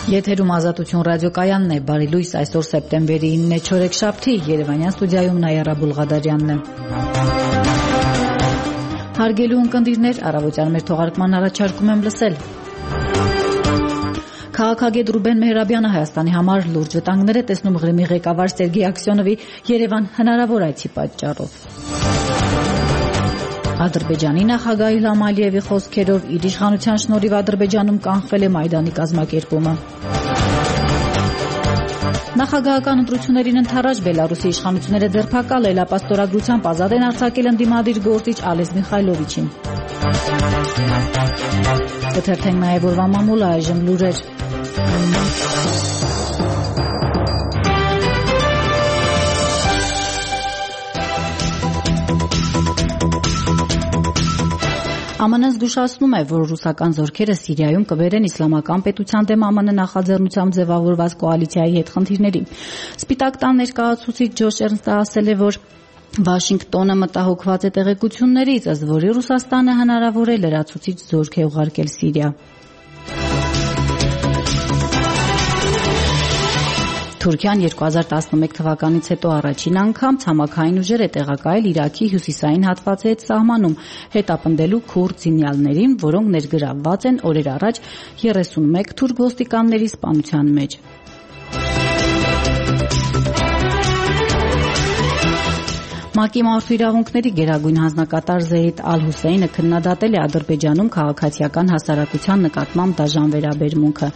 Եթերում Ազատություն ռադիոկայանն է, բարի լույս, այսօր սեպտեմբերի 9-ը չորեքշաբթի, Երևանյան ստուդիայում Նայարա Բուլղադարյանն է։ Հարգելի ունկնդիրներ, առավոտյան մեր թողարկման առաջարկում եմ լսել։ Քաղաքագետ Ռուբեն Մեհրաբյանը Հայաստանի համար լուրջ վտանգներ է տեսնում Ղրիմի ղեկավար Սերգեյ Աքսյոնովի Երևան հնարավոր այցի պատճառով։ Ադրբեջանի նախագահ Իլհամ Ալիևի խոսքերով իր իշխանության շնորհիվ Ադրբեջանում կանխվել է Մայդանի կազմակերպումը։ Նախագահական ընտրություններին ընդառաջ Բելարուսի իշխանությունները ձերբակալ Էլապաստորագրությամբ ազատ են արձակել ընդդիմադիր գործիչ Ալես Միխայլովիչին։ Կթերթենք նաև օրվա մամուլը, այժմ լուրեր։ ԱՄՆ-ն զգուշացնում է, որ ռուսական զորքերը Սիրիայում կբերեն իսլամական պետության դեմ ԱՄՆ նախաձեռնությամբ ձևավորված կոալիցիայի հետ խնդիրների։ Սպիտակ տան ներկայացուցիչ Ջոշ Էրնստը ասել է, որ Վաշինգտոնը մտահոգված է տեղեկություններից, ըստ որի Ռուսաստանը հնարավոր է լրացուցիչ զորք է ուղարկել Սիրիա։ Թուրքիան 2011 թվականից հետո առաջին անգամ ցամաքային ուժեր է տեղակայել Իրաքի հյուսիսային հատվածի հետ սահմանում, հետապնդելու քուրդ զինյալներին, որոնք ներգրավված են օրեր առաջ 31 թուրք ոստիկանների սպանության մեջ։ ՄԱԿ-ի մարդու իրավունքների գերագույն հանձնակատար Զեյդ Ալ-Հուսեյնը քննադատել է Ադրբեջանում քաղաքացիական հասարակության նկատմամբ դաժան վերաբերմունքը։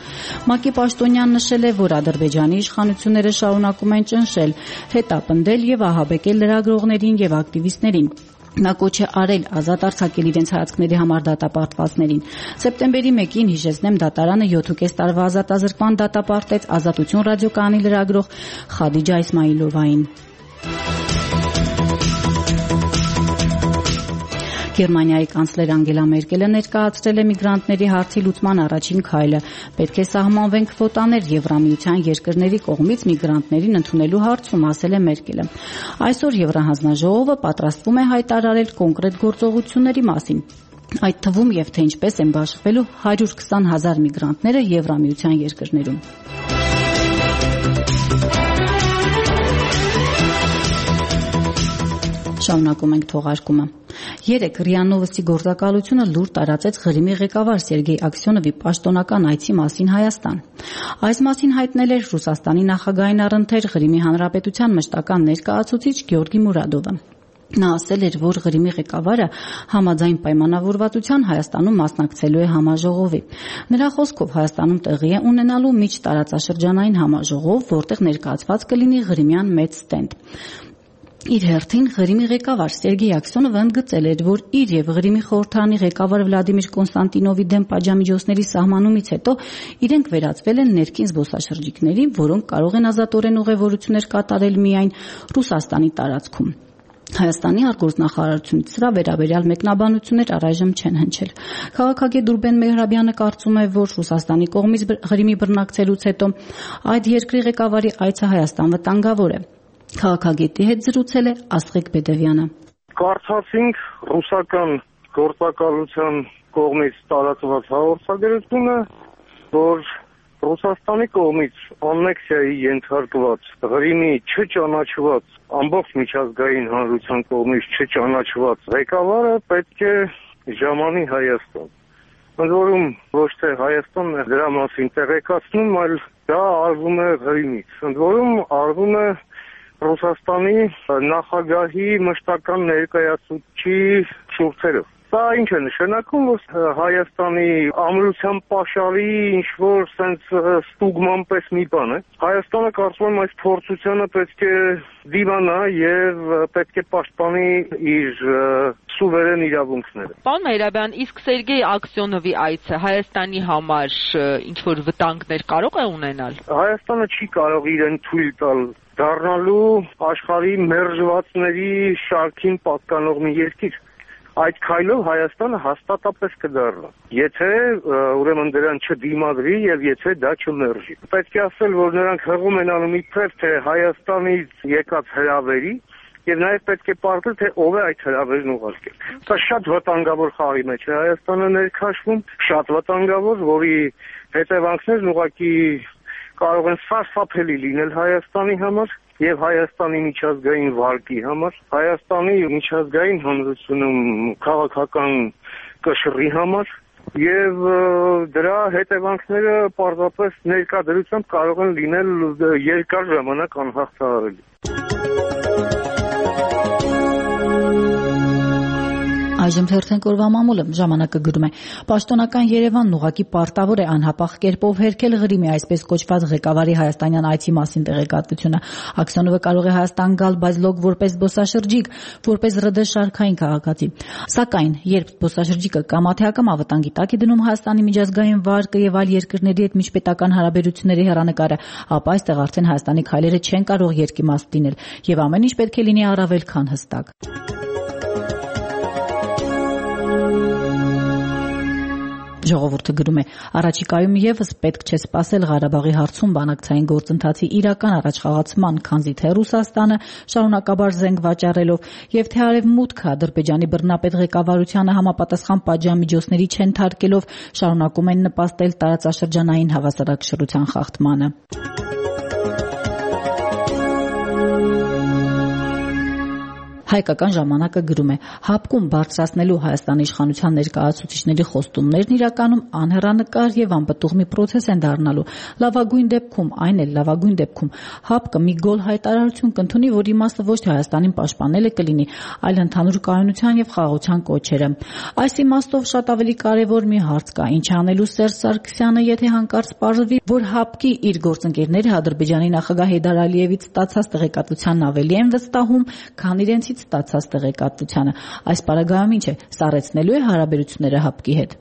ՄԱԿ-ի պաշտոնյան նշել է, որ Ադրբեջանի իշխանությունները շարունակում են ճնշել, հետապնդել եւ ահաբեկել լրագրողներին եւ ակտիվիստներին։ Նա կոչ է արել ազատ արձակել իրենց հայացքների համար դատապարտվածներին։ Սեպտեմբերի 1-ին հիշեցնեմ, դատարանը 7.5 տարվա ազատազրկման դատապարտեց Ազատություն ռադիոկայանի լրագրող Խադիջա Իսմայիլովային։ Գերմանիայի կանցլեր Անգելա Մերկելը ներկայացրել է միգրանտների հարցի լուծման առաջին քայլը։ Պետք է սահմանվեն քվոտաներ Եվրամիության երկրների կողմից միգրանտներին ընդունելու հարցում, ասել է Մերկելը։ Այսօր Եվրահանձնաժողովը պատրաստվում է հայտարարել կոնկրետ գործողությունների մասին։ Այդ թվում եւ թե ինչպես են բաշխվելու 120,000 միգրանտները Եվրամիության երկրներում։ Շարունակում ենք թողարկումը։ Երեկ ՌԻԱ Նովոստի գործակալությունը լուր տարածեց Ղրիմի ղեկավար Սերգեյ Աքսյոնովի պաշտոնական այցի մասին Հայաստան։ Այս մասին հայտնել էր Ռուսաստանի նախագահային առընթեր Ղրիմի հանրապետության մշտական ներկայացուցիչ Գեորգի Մուրադովը։ Նա ասել էր, որ Ղրիմի ղեկավարը համաձայն պայմանավորվածության Հայաստանում մասնակցելու է համաժողովի։ Նրա խոսքով Հայաստանում տեղի է ունենալու միջտարածաշրջանային համաժողով, որտեղ ներկայացված կլինի Ղրիմյան մեծ ստենդ։ Իր հերթին Ղրիմի ղեկավար Սերգեյ Աքսյոնովը ընդգծել էր, որ իր եւ Ղրիմի խորհրդարանի ղեկավար Վլադիմիր Կոնստանտինովի դեմ պատժամիջոցների սահմանումից հետո իրենք վերածվել են ներքին զբոսաշրջիկների, որոնք կարող են ազատորեն ուղևորություններ կատարել միայն Ռուսաստանի տարածքում։ Հայաստանի արտգործնախարարությունից սրա վերաբերյալ մեկնաբանություններ առայժմ չեն հնչել։ Քաղաքագետ Ռուբեն Մեհրաբյանը կարծում է, որ Ռուսաստանի կողմից Ղրիմի բռնակցելուց հետո այդ երկրի ղեկավարի այցը Հայաստան վտանգավոր է։ Քաղաքագետի հետ զրուցել է Աստղիկ Բեդևյանը։ Կարծացինք ռուսական գործակալության կողմից տարածված հաղորդագրությունը, որ Ռուսաստանի կողմից աննեքսիայի ենթարկված Ղրիմի չճանաչված ամբողջ միջազգային հանրության կողմից չճանաչված ղեկավարը պետք է ժամանի Հայաստան։ Ընդ որում ոչ թե Հայաստանն է դրա մասին տեղեկացնում, այլ դա արվում է Ղրիմից։ Ընդ որում արվում է Ռուսաստանի նախագահի մշտական ներկայացուցչի շուրթերով։ Սա ինչ է նշանակում, որ Հայաստանի ամրության պաշարի ինչ-որ սենց ստուգման պես մի բան է։ Հայաստանը կարծում եմ այս փորձությանը պետք է դիմանա եւ պետք է պաշտպանի իր սուվերեն իրավունքները։ Պարոն Մեհրաբյան, իսկ Սերգեյ Աքսյոնովի այցը Հայաստանի համար ինչ-որ վտանգներ կարող է ունենալ։ Հայաստանը չի կարող իրեն թույլ տալ դառնալու աշխարհի մերժվածների շարքին պատկանող մի երկիր։ Այդ քայլով Հայաստանը հաստատապես կդառնա, եթե ուրեմն դրան չդիմադրի եւ եթե դա չմերժի։ Պետք է ասել, որ նրանք հղում են անում իբրև թե Հայաստանից եկած հրավերի, եւ նաեւ պետք է պարզել, թե ով է այդ հրավերն ուղարկել։ Սա շատ վտանգավոր խաղի մեջ է Հայաստանը ներքաշվում, շատ վտանգավոր, որի հետևանքներն ուղղակի կարող են սարսափելի լինել Հայաստանի համար եւ Հայաստանի միջազգային վարկի համար, Հայաստանի միջազգային հանրությունում քաղաքական կշռի համար եւ դրա հետևանքները պարզապես ներկայությամբ կարող են լինել երկար ժամանակ անհաղթահարելի։ Այժմ թերթենք օրվա մամուլը ժամանակը գրում է. Պաշտոնական Երևանն ուղղակի պարտավոր է անհապաղ կերպով հերքել Ղրիմի այսպես կոչված ղեկավարի հայաստանյան այցի մասին տեղեկատվությունը։ Աքսյոնովը կարող է Հայաստան գալ, բայց լոկ որպես զբոսաշրջիկ, որպես ՌԴ շարքային քաղաքացի։ Սակայն, երբ զբոսաշրջիկը կամաթեական ավտանգի տակ է դնում Հայաստանի միջազգային վարկը եւ այլ երկրների հետ միջպետական հարաբերությունների հեռանկարը, ապա այստեղ արդեն Հայաստանի քայլերը չեն կարող երկիմաստ լինել եւ ամեն ինչ պետք է լինի առավել քան հստակ։ Ժողովուրդը գրում է. առաջիկայում եւս պետք չէ սպասել Ղարաբաղի հարցում բանակցային գործընթացի իրական առաջխաղացման, քանզի թե Ռուսաստանը շարունակաբար զենք վաճառելով եւ թե Արևմուտքը Ադրբեջանի բռնապետ ղեկավարությանը համապատասխան պատժամիջոցների չենթարկելով շարունակում են նպաստել տարածաշրջանային հավասարակշռության խախտմանը։ Հայկական ժամանակը գրում է. հապկում բարձրացնելու Հայաստանի իշխանության ներկայացուցիչների խոստումներն իրականում անհեռանկար եւ անպտուղ մի պրոցես են դառնալու։ Լավագույն դեպքում, այն էլ լավագույն դեպքում, հապկը մի գոլ հայտարարություն կընդունի, որ իմաստը ոչ թե Հայաստանին պաշտպանելը կլինի, այլ ընդհանուր կայունության եւ խաղաղության կոչերը։ Այս իմաստով շատ ավելի կարեւոր մի հարց կա. ինչ անելու Սերժ Սարգսյանը, եթե հանկարծ պարզվի, որ հապկի իր գործընկերները Ադրբեջանի նախագահ Հեյդար Ալիևից ստացած տեղեկատվությանն ավելի են վստահում, քան իրենցից ստացած տեղեկատվությանը։ Այս պարագայում ինչ է, սառեցնելու է հարաբերությունները հապկի հետ։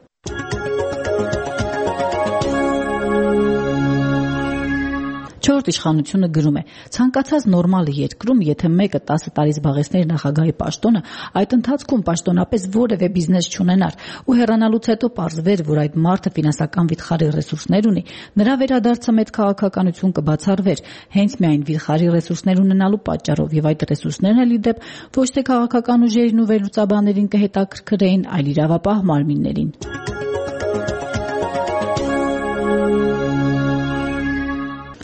Չորրորդ իշխանությունը գրում է. ցանկացած նորմալ երկրում, եթե մեկը 10 տարի զբաղեցներ նախագահի պաշտոնը, այդ ընթացքում պաշտոնապես որևէ բիզնես չունենար ու հեռանալուց հետո պարզվեր, որ այդ մարդը ֆինանսական վիթխարի ռեսուրսներ ունի, նրա վերադարձը մեծ քաղաքականություն կբացառվեր, հենց միայն վիթխարի ռեսուրսներ ունենալու պատճառով, եւ այդ ռեսուրսներն էլ ի դեպ ոչ թե քաղաքական ուժերին ու վերլուծաբաններին կհետաքրքրեին, այլ իրավապահ մարմիններին։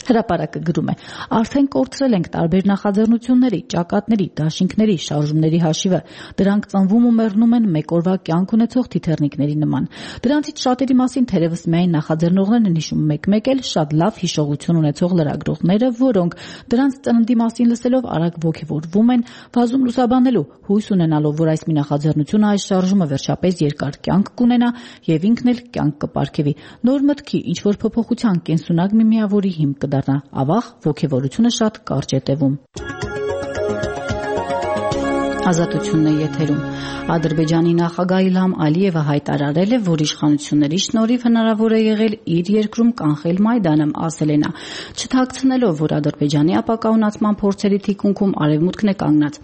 Հրապարակը գրում է. արդեն կորցրել ենք տարբեր նախաձեռնությունների, ճակատների, դաշինքների, շարժումների հաշիվը։ Դրանք ծնվում ու մեռնում են մեկ օրվա կյանք ունեցող թիթեռնիկների նման։ Դրանցից շատերի մասին թերևս միայն նախաձեռնողներն են հիշում, մեկ-մեկ էլ շատ լավ հիշողություն ունեցող լրագրողները, որոնք դրանց ծննդի մասին լսելով արագ ոգևորվում են, վազում լուսաբանելու, հույս ունենալով, որ այս մի նախաձեռնությունը, այս շարժումը վերջապես երկար կյանք կունենա եւ ինքն էլ կյանք կպարգևի։ Նոր մտքի, ինչ որ փոփոխության կենսունակ մի միավորի հիմք կդառնա։ Ավաղ ոգևորությունը շատ կարճ է տևում։ Ազատությունն է եթերում։ Ադրբեջանի նախագահ Իլհամ Ալիևը հայտարարել է, որ իշխանությունների շնորհիվ հնարավոր է եղել իր երկրում կանխել Մայդանը, ասել է նա, չթաքցնելով, որ Ադրբեջանի ապակայունացման փորձերի թիկունքում Արևմուտքն է կանգնած։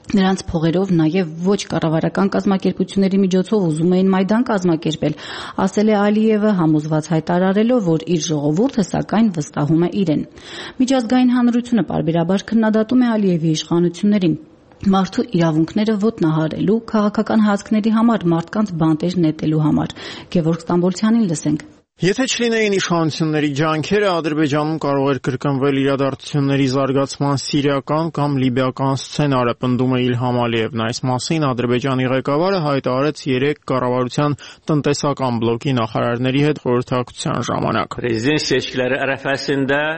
Նրանց փողերով նաև ոչ կառավարական կազմակերպությունների միջոցով ուզում էին Մայդան կազմակերպել, ասել է Ալիևը, համոզված հայտարարելով, որ իր ժողովուրդը սակայն վստահում է իրեն։ Միջազգային հանրությունը պարբերաբար քննադատում է Ալիևի իշխանություններին։ Մարդու իրավունքները ոտնահարելու, քաղաքական հայացքների համար մարդկանց բանտեր նետելու համար։ Գևորգ Ստամբոլցյանին լսենք։ Եթե չլինեին իշխանությունների ջանքերը, Ադրբեջանում կարող էր կրկնվել իրադարձությունների զարգացման սիրիական կամ լիբիական սցենարը, պնդում է Իլհամ Ալիևն։ Այս մասին Ադրբեջանի ղեկավարը հայտարարեց 3 կառավարության տնտեսական բլոկի նախարարների հետ խորհրդակցության ժամանակ։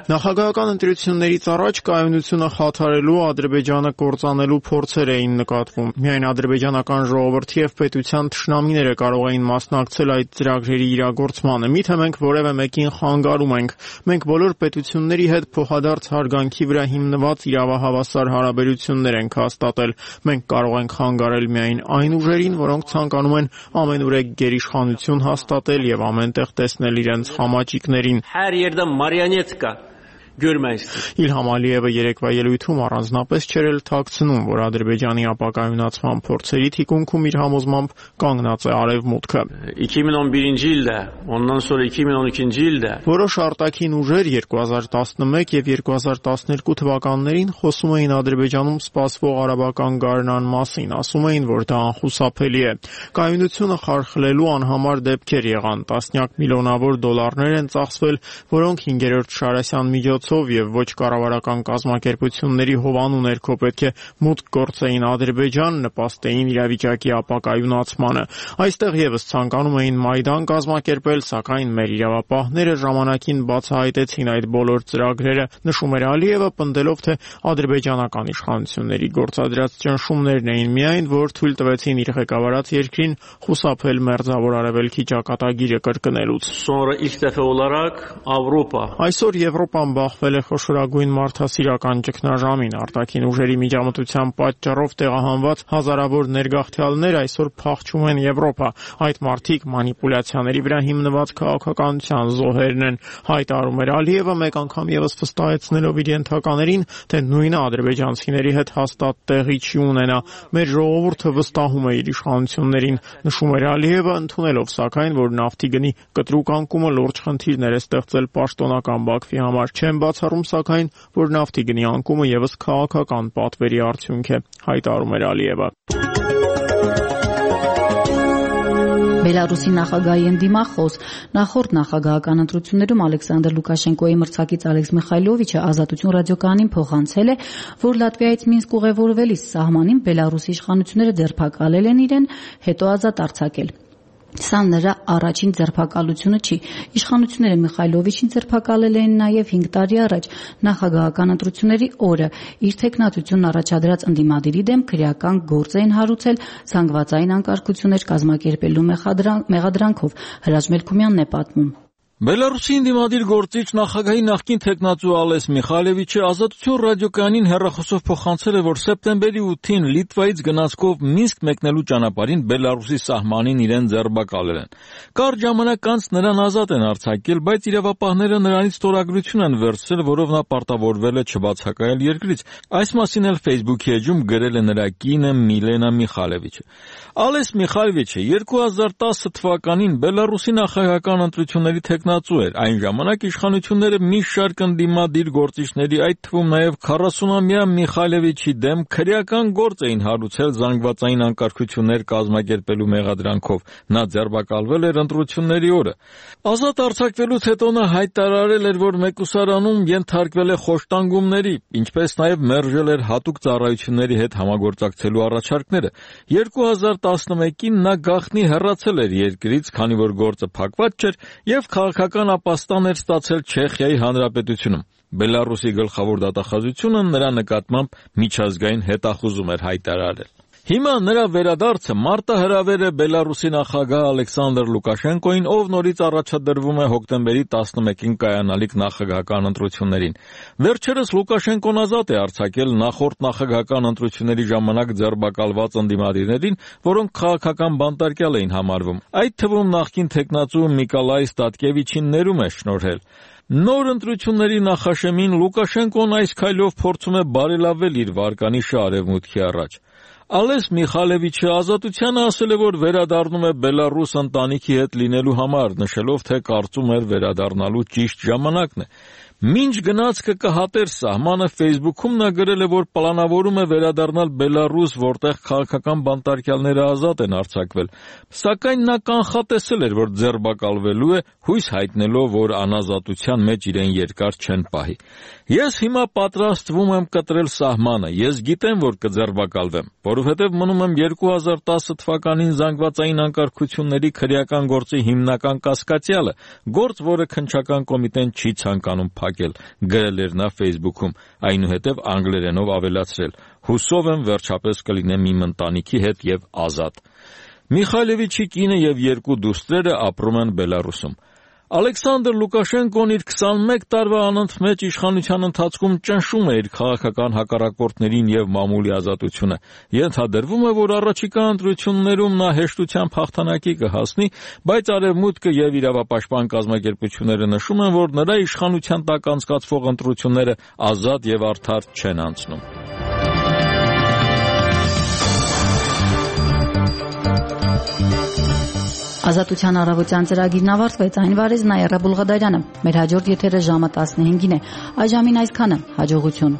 Նախագահական ընտրություններից առաջ կայունությունը խաթարելու, Ադրբեջանը կործանելու փորձեր էին նկատվում։ Միայն ադրբեջանական ժողովրդի եւ պետության թշնամիները կարող էին մասնակցել այդ ծրագրերի իրագործմանը։ Մենք որևէ մեկին խանգարում ենք։ Մենք բոլոր պետությունների հետ փոխադարձ հարգանքի վրա հիմնված իրավահավասար հարաբերություններ ենք հաստատել։ Մենք կարող ենք խանգարել միայն այն ուժերին, որոնք ցանկանում են ամենուրեք գերիշխանություն հաստատել եւ ամենտեղ տեսնել իրենց խամաճիկներին։ Իլհամ Ալիևը երեկվա ելույթում առանձնապես չէր էլ թաքցնում, որ Ադրբեջանի ապակայունացման փորձերի թիկունքում իր համոզմամբ կանգնած է Արևմուտքը։ 2011 ildə, ondan sonra 2012 ildə որոշ արտաքին ուժեր 2011 եւ 2012 թվականներին խոսում էին Ադրբեջանում սպասվող արաբական գարնան մասին, ասում էին, որ դա անխուսափելի է։ Կայունությունը խարխլելու անհամար դեպքեր եղան, տասնյակ միլիոնավոր դոլարներ են ծախսվել, որոնք 5-րդ Շարասյան միջոցով եւ ոչ կառավարական կազմակերպությունների հովանու ներքո պետք է մուտք գործեին Ադրբեջան, նպաստեին իրավիճակի ապակայունացմանը։ Այստեղ եւս ցանկանում էին Մայդան կազմակերպել, սակայն մեր իրավապահները ժամանակին բացահայտեցին այդ բոլոր ծրագրերը, նշում էր Ալիևը, պնդելով, թե ադրբեջանական իշխանությունների գործադրած ճնշումներն էին միայն, որ թույլ տվեցին իր ղեկավարած երկրին խուսափել մերձավոր արևելքի ճակատագիրը կրկնելուց։ Sonra ilk dəfə olaraq Avropa Այսօր Եվրոպան բախվել է խոշորագույն մարդասիրական ճգնաժամին, արտաքին ուժերի միջամտության պատճառով տեղահանված հազարավոր ներգաղթյալներ այսօր փախչում են Եվրոպա։ Այդ մարդիկ մանիպուլյացիաների վրա հիմնված քաղաքականության զոհերն են, հայտարարում էր Ալիևը, մեկ անգամ եւս վստահեցնելով իր ենթականերին, թե նույնը ադրբեջանցիների հետ հաստատ տեղի չի ունենա։ Մեր ժողովուրդը վստահում է իր իշխանություններին, նշում էր Ալիևը, ընդունելով սակայն, որ նավթի գնի կտրուկ անկումը լուրջ խնդիրներ է ստեղծել պաշտոնական Բաքվի համար։ Չեն բացառում սակայն, որ նավթի գնի անկումը եւս քաղաքական պատվերի արդյունք է, հայտարարում էր Ալիևը։ Բելարուսի նախագահի ընդդիմախոս նախորդ նախագահական ընտրություններում Ալեքսանդր Լուկաշենկոյի մրցակից Ալեքս Միխայլովիչը Ազատություն ռադիոկայանին փոխանցել է, որ Լատվիայից Մինսկ ուղևորվելիս սահմանին Բելարուսի իշխանությունները ձերբակալել են իրեն, հետո ազատ արձակել։ Սա նրա առաջին ձերբակալությունը չի։ Իշխանությունները Միխայլովիչին ձերբակալել էին նաև 5 տարի առաջ նախագահական ընտրությունների օրը։ Իր թեկնածությունն առաջադրած ընդդիմադիրի դեմ քրեական գործ էին հարուցել զանգվածային անկարգություններ կազմակերպելու մեղադրանքով։ Հրաչ Մելքումյանն է պատմում։ Բելարուսի ընդդիմադիր գործիչ նախագահի նախկին թեկնածու Ալես Միխայլովիչը Ազատություն ռադիոկայանին հեռախոսով փոխանցել է, որ սեպտեմբերի 8-ին Լիտվայից գնացքով Մինսկ մեկնելու ճանապարհին Բելարուսի սահմանին իրեն ձերբակալել են։ Կարճ ժամանակ անց նրան ազատ են արձակել, բայց իրավապահները նրանից ստորագրություն են վերցրել, որով նա պարտավորվել է չբացակայել երկրից։ Այս մասին էլ Facebook-ի էջում գրել է նրա կինը Միլենա Միխայլովիչը։ Ալես Միխայլովիչը 2010 թվականին Բելարուսի նախագահական ընտրությունների տեխնացու էր։ Այն ժամանակ իշխանությունները մի շարք ընդդիմադիր գործիչների, այդ թվում նաև 40-ամյա Միխայլովիչի դեմ քրեական գործ էին հարուցել զանգվածային անկարգություններ կազմակերպելու մեղադրանքով։ Նա ձերբակալվել էր ընտրությունների օրը։ Ազատ արձակվելուց հետո նա հայտարարել էր, որ մեկուսարանում ենթարկվել է խոշտանգումների, ինչպես նաև մերժել էր հատուկ ծառայությունների հետ համագործակցելու առաջարկները։ 2011-ին նա գաղտնի հեռացել էր երկրից, քանի որ գործը փակված չէր, եւ քաղաքական ապաստան էր ստացել Չեխիայի Հանրապետությունում։ Բելարուսի գլխավոր դատախազությունը նրա նկատմամբ միջազգային հետախուզում էր հայտարարել։ Հիմա նրա վերադարձը մարտահրավեր է Բելարուսի նախագահ Ալեքսանդր Լուկաշենկոին, ով նորից առաջադրվում է հոկտեմբերի 11-ին կայանալիք նախագահական ընտրություններին։ Վերջերս Լուկաշենկոն ազատ է արձակել նախորդ նախագահական ընտրությունների ժամանակ ձերբակալված ընդդիմադիրներին, որոնք քաղաքական բանտարկյալ էին համարվում։ Այդ թվում նախկին տեխնացու Նիկոլայ Ստատկևիչին ներում է շնորհել։ Նոր ընտրությունների նախաշեմին Լուկաշենկոն այս քայլով փորձում է բարելավել իր վարկանիշը արևմուտքի առաջ։ Ալես Միխայլովիչը Ազատությանը ասել է, որ վերադառնում է Բելարուս ընտանիքի հետ լինելու համար, նշելով, թե կարծում էր վերադառնալու ճիշտ ժամանակն է։ Մինչ գնացքը կհատեր սահմանը, Facebook-ում նա գրել է, որ պլանավորում է վերադառնալ Բելարուս, որտեղ քաղաքական բանտարկյալները ազատ են արձակվել։ Սակայն նա կանխատեսել էր, որ ձերբակալվելու է, հույս հայտնելով, որ անազատության մեջ իրեն երկար չեն պահի։ Ես հիմա պատրաստվում եմ կտրել սահմանը, ես գիտեմ, որ կձերբակալվեմ, որովհետև մնում եմ 2010 թվականին զանգվածային անկարգությունների քրեական գործի հիմնական կասկածյալը, գործ, որը քննչական կոմիտեն չի ցանկանում փակել, գրել էր նա Facebook-ում, այնուհետև անգլերենով ավելացրել. հուսով եմ վերջապես կլինեմ իմ ընտանիքի հետ եւ ազատ։ Միխայլովիչի կինը եւ երկու դուստրերը ապրում են Բելարուսում։ Ալեքսանդր Լուկաշենկոն իր 21 տարվա անընդմեջ իշխանության ընթացքում ճնշում է իր քաղաքական հակառակորդներին եւ մամուլի ազատությունը։ Ենթադրվում է, որ առաջիկա ընտրություններում նա հեշտությամբ հաղթանակի կհասնի, բայց Արևմուտքը եւ իրավապաշտպան կազմակերպությունները նշում են, որ նրա իշխանության տակ անցկացվող ընտրությունները ազատ եւ արդար չեն անցնում։ Ազատության առավոտյան ծրագիրն ավարտվեց, այն վարեց Նաիրա Բուլղադարյանը։ Մեր հաջորդ եթերը ժամը 15-ին է։ Այժմին այսքանը, հաջողություն։